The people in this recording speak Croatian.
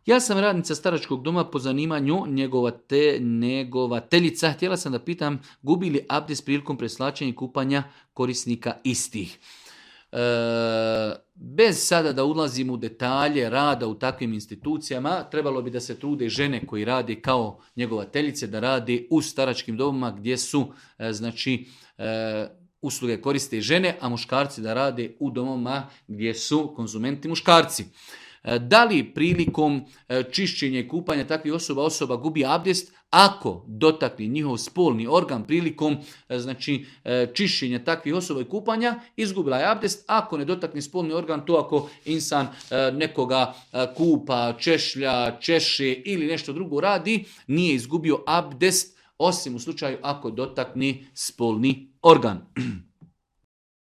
Ja sam radnica staračkog doma po zanimanju njegovateljica. Htjela sam da pitam gubi li abdest prilikom preslačenja i kupanja korisnika istih. Bez sada da ulazim u detalje rada u takvim institucijama, trebalo bi da se trude žene koji rade kao njegovateljice, da rade u staračkim domama gdje su usluge koriste žene, a muškarci da rade u domovima gdje su konzumenti muškarci. Da li prilikom čišćenja i kupanja takvih osoba gubi abdest ako dotakne njihov spolni organ prilikom čišćenja takvih osoba i kupanja, izgubila je abdest. Ako ne dotakne spolni organ, to ako insan nekoga kupa, češlja, češe ili nešto drugo radi, nije izgubio abdest, osim u slučaju ako dotakne spolni organ.